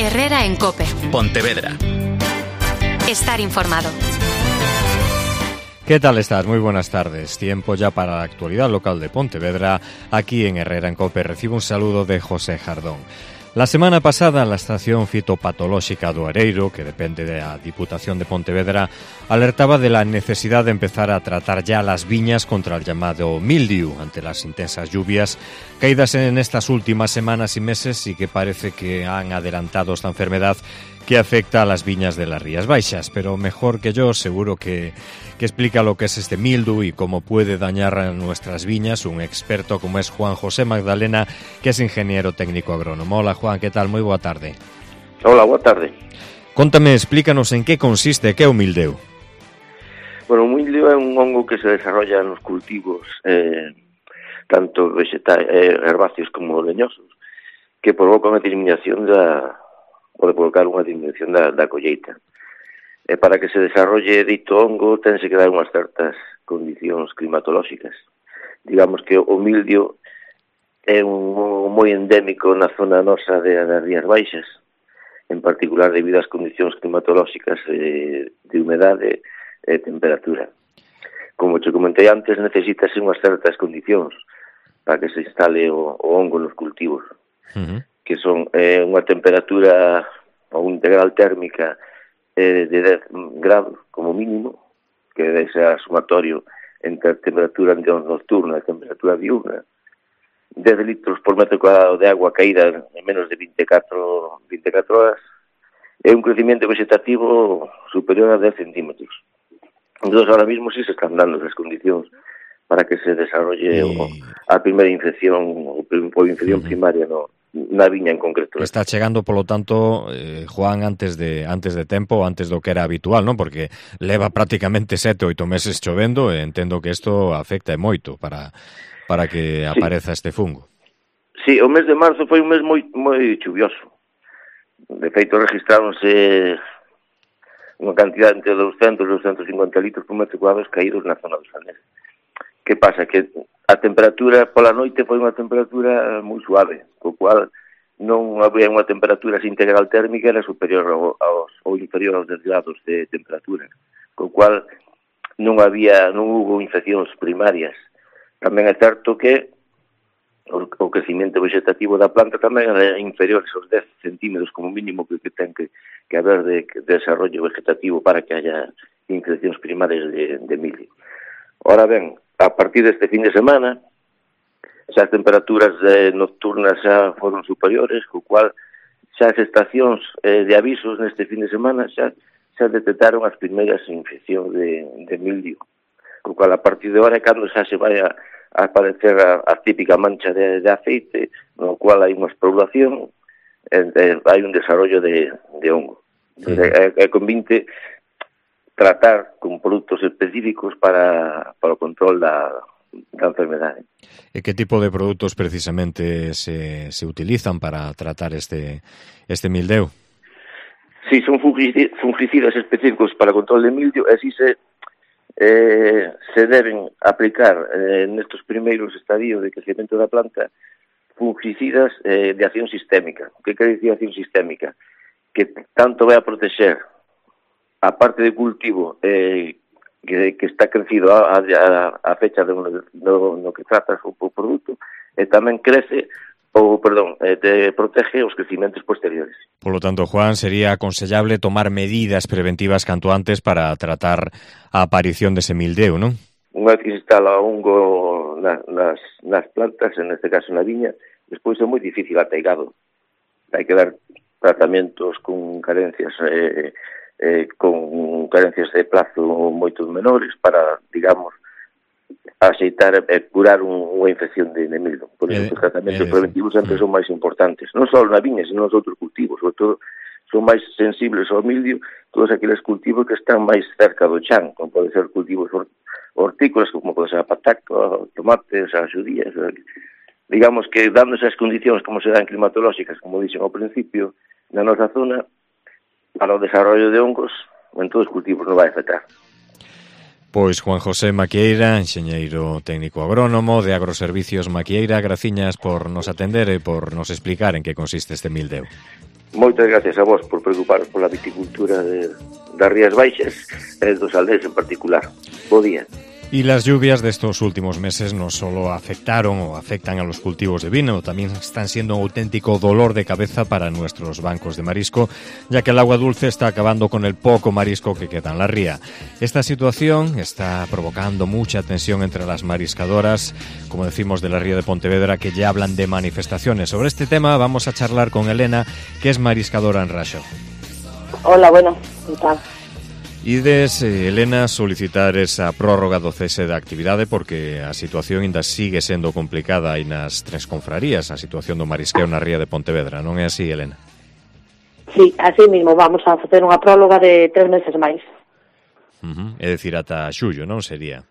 Herrera en COPE. Pontevedra. Estar informado. ¿Qué tal estás? Muy buenas tardes. Tiempo ya para la actualidad local de Pontevedra. Aquí en Herrera en COPE recibo un saludo de José Jardón. La semana pasada, la estación fitopatolóxica do Areiro, que depende de la Diputación de Pontevedra, alertaba de la necesidad de empezar a tratar ya las viñas contra el llamado mildiu ante las intensas lluvias caídas en estas últimas semanas y meses y que parece que han adelantado esta enfermedad que afecta a las viñas de las Rías Baixas. Pero mejor que yo, seguro que explica lo que es este mildiu y cómo puede dañar a nuestras viñas un experto como es Juan José Magdalena, que es ingeniero técnico agrónomo. Hola Juan, ¿qué tal? Muy boa tarde. Hola, boa tarde. Contame, explícanos en qué consiste, que é o mildiu. Bueno, o mildiu é un hongo que se desarrolla nos cultivos, tanto herbáceos como leñosos, que provoca unha disminución pode provocar unha disminución da colleita. E para que se desarrolle dito hongo tense que dar unhas certas condicións climatolóxicas. Digamos que o mildio é un hongo moi endémico na zona nosa das Rías Baixas, en particular debido ás condicións climatolóxicas de humedade e temperatura. Como te comentei antes, necesitase unhas certas condicións para que se instale o hongo nos cultivos. Que son unha temperatura ou integral térmica de 10 grados como mínimo, que debe ser sumatorio entre a temperatura nocturna e a temperatura diurna, 10 litros por metro cuadrado de agua caída en menos de 24 horas, e un crecimiento vegetativo superior a 10 centímetros. Entón, ahora mismo sí se están dando esas condicións para que se desarrolle a primeira infección ou infección primaria na viña en concreto. Está chegando, polo tanto, Juan, antes de tempo, antes do que era habitual, non? Porque leva prácticamente 7 ou 8 meses chovendo e entendo que isto afecta moito para que apareza este fungo. Sí, o mes de marzo foi un mes moi chuvioso. De feito, registráronse unha cantidad entre 200 e 250 litros por metro cuadrado caídos na zona dos Salnés. Que pasa? Que a temperatura pola noite foi unha temperatura moi suave, co cual non había unha temperatura integral térmica, era superior ou inferior aos 10 grados de temperatura, co cual non hubo infeccións primarias. Tamén é certo que o crecimiento vegetativo da planta tamén era inferior aos 10 centímetros como mínimo que ten que haber de desarrollo vegetativo para que haya infeccións primarias de mildio. Ora ben, a partir deste fin de semana, xa as temperaturas nocturnas xa foron superiores, co cual xa as estacións de avisos neste fin de semana xa detectaron as primeiras infeccións de mildio. Co cual, a partir de ahora, cando xa se vai a aparecer a típica mancha de aceite, no cual hai unha esporulación, hai un desarrollo de hongo. É convinte tratar con produtos específicos para o control da enfermedade. E que tipo de produtos precisamente se utilizan para tratar este mildiu? Sí, son fungicidas específicos para o control de mildio, e así se deben aplicar nestes primeiros estadios de crecemento da planta fungicidas de acción sistémica. O que quere dicir acción sistémica? Que tanto vai a proteger a parte de cultivo que está crecido a fecha no que tratas o produto, e tamén te protege os crecimentos posteriores. Por lo tanto, Juan, sería aconsellable tomar medidas preventivas canto antes para tratar a aparición dese mildiu, non? Unha vez que se instala o hongo nas plantas, en este caso na viña, despois é moi difícil ateigado. Hai que dar tratamentos con carencias de plazo moito menores para, digamos, aceitar e curar unha infección de mildio. Por iso, os tratamentos preventivos sempre son máis importantes. Non só na viña, sino nos outros cultivos. Sobre todo, son máis sensibles ao mildio todos aqueles cultivos que están máis cerca do chan, como pode ser cultivos hortícolas, como pode ser a pataca, tomates, as xudías. Digamos que, dándose as condicións como se dan climatolóxicas, como dixen ao principio, na nosa zona, para o desarrollo de hongos, en todos os cultivos non vai afectar. Pois Juan José Maquieira, enxeñeiro técnico agrónomo de Agroservicios Maquieira, graciñas por nos atender e por nos explicar en que consiste este mildiu. Moitas gracias a vos por preocuparos pola viticultura das Rías Baixas e dos aldeas en particular. Bo día. Y las lluvias de estos últimos meses no solo afectaron o afectan a los cultivos de vino, también están siendo un auténtico dolor de cabeza para nuestros bancos de marisco, ya que el agua dulce está acabando con el poco marisco que queda en la ría. Esta situación está provocando mucha tensión entre las mariscadoras, como decimos, de la ría de Pontevedra, que ya hablan de manifestaciones. Sobre este tema vamos a charlar con Elena, que es mariscadora en Raxó. Hola, bueno, ¿qué tal? Ides, Elena, solicitar esa prórroga do cese da actividade porque a situación ainda sigue sendo complicada aí nas tres confrarías, a situación do marisqueo na ría de Pontevedra, non é así, Elena? Sí, así mismo, vamos a facer unha próloga de 3 meses máis. É dicir, ata xullo, non sería?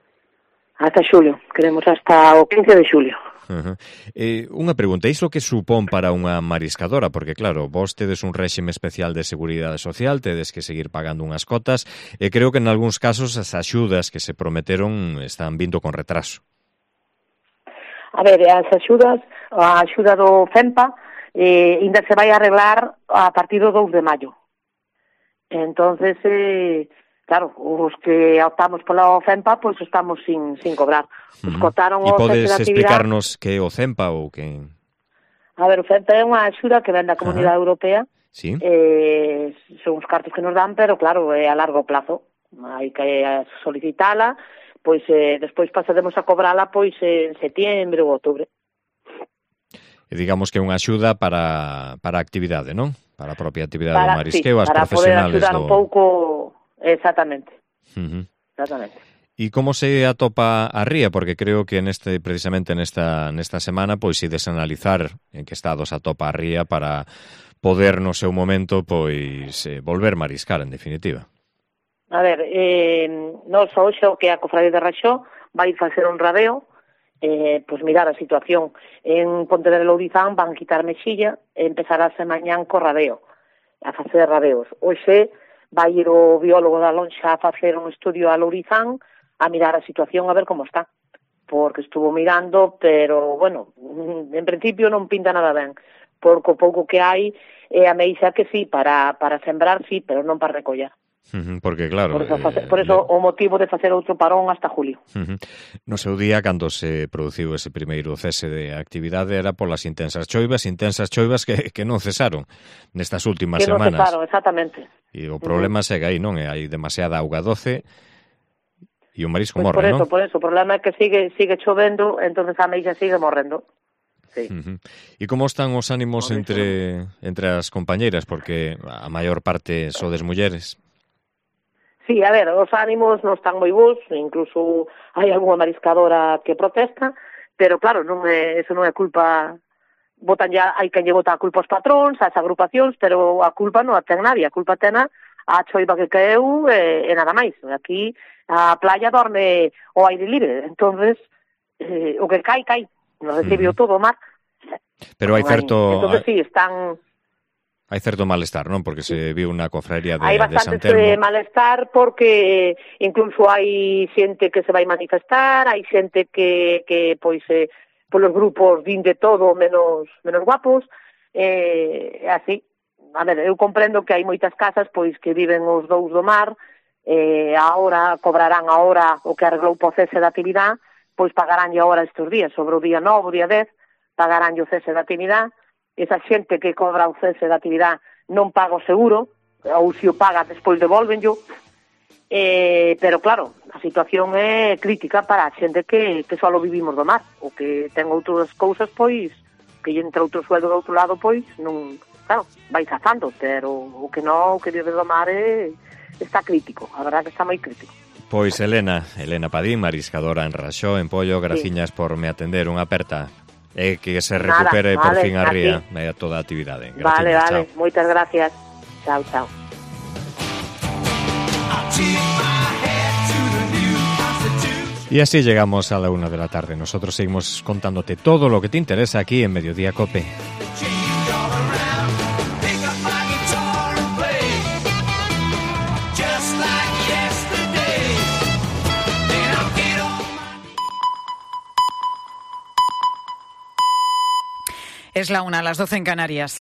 Hasta xulio, queremos hasta o 15 de xulio. Unha pregunta, iso que supón para unha mariscadora? Porque claro, vos tedes un réxime especial de seguridade social, tedes que seguir pagando unhas cotas, e creo que en algúns casos as axudas que se prometeron están vindo con retraso. A ver, as axudas, a axuda do FEMPA ainda se vai arreglar a partir do 2 de maio. Entonces, claro, os que optamos pola FEMPA, pois estamos sin cobrar. Os cotaron o cese de actividade. E podes explicarnos que é o FEMPA ou que... A ver, o FEMPA é unha axuda que ven da Comunidade Europea. Sí. Son os cartos que nos dan, pero claro, é a largo plazo. Hai que solicitala, pois despois pasaremos a cobrala pois en setiembre ou outubro. E digamos que é unha axuda para a actividade, non? Para a propia actividade do marisqueo, as profesionales do... Para poder axudar un pouco... Exactamente. Exactamente. E como se atopa a ría? Porque creo que precisamente nesta semana pois ides analizar en que estado se atopa a ría para poder no seu momento pois volver mariscar, en definitiva. A ver, nós hoxe o que a Cofradía de Raxó vai facer un radeo, pois mirar a situación. En Pontevedra e Lourizán van quitar mexilla e empezarase mañán co radeo, a facer radeos. Hoxe vai ir o biólogo da lonxa a facer un estudio a Lourizán a mirar a situación a ver como está, porque estuvo mirando, pero, bueno, en principio non pinta nada ben, porque o pouco que hai é a meixa que sí, para sembrar sí, pero non para recoller. Porque claro... Por eso o motivo de facer outro parón hasta julio. No seu día, cando se produciu ese primeiro cese de actividade, era polas intensas choivas que non cesaron nestas últimas semanas. Que non cesaron, exactamente. E o problema segue aí, non? Hai demasiada auga doce e o marisco morre, non? Por eso, o problema é que sigue chovendo, entonces a meixa sigue morrendo. Sí. E como están os ánimos entre as compañeiras? Porque a maior parte sodes mulleres. Sí, a ver, os ánimos non están moi bons, incluso hai algunha mariscadora que protesta, pero claro, eso non é culpa, hai quen lle bota a culpa aos patróns, ás agrupacións, pero a culpa non a ten nadie, a culpa ten a choiva que caeu e nada máis. Aquí a playa dorme ao aire libre, entonces o que cai, non recibiu todo o mar. Pero hai certo... Entonces sí, están... Hai certo malestar, non? Porque se viu unha cofraría de San Telmo. Hai bastante malestar porque incluso hai xente que se vai manifestar, hai xente que pois, polos grupos din de todo menos guapos, así. A ver, eu comprendo que hai moitas casas pois que viven os dous do mar, cobrarán agora o que arreglou po cese da actividade, pois pagaránlle agora estes días, sobre o día 9, o día 10, pagaránlle o cese da actividade. Esa xente que cobra o cese da actividade non paga o seguro, ou se o paga despois devolvenllo, pero claro, a situación é crítica para a xente que só vivimos do mar, o que ten outras cousas, pois, que lle entra outro sueldo do outro lado, pois, non, claro, vai sazando, pero o que non, o que vive do mar está crítico, a verdade que está moi crítico. Pois Elena Padín, mariscadora en Raxó, en Pollo, graciñas por me atender, unha aperta. E que se recupere por fin a ría e toda a actividade. Vale, moitas gracias. Chao. Y así llegamos a la 1 de la tarde. Nosotros seguimos contándote todo lo que te interesa aquí en Mediodía COPE. Es la 1, las 12 en Canarias.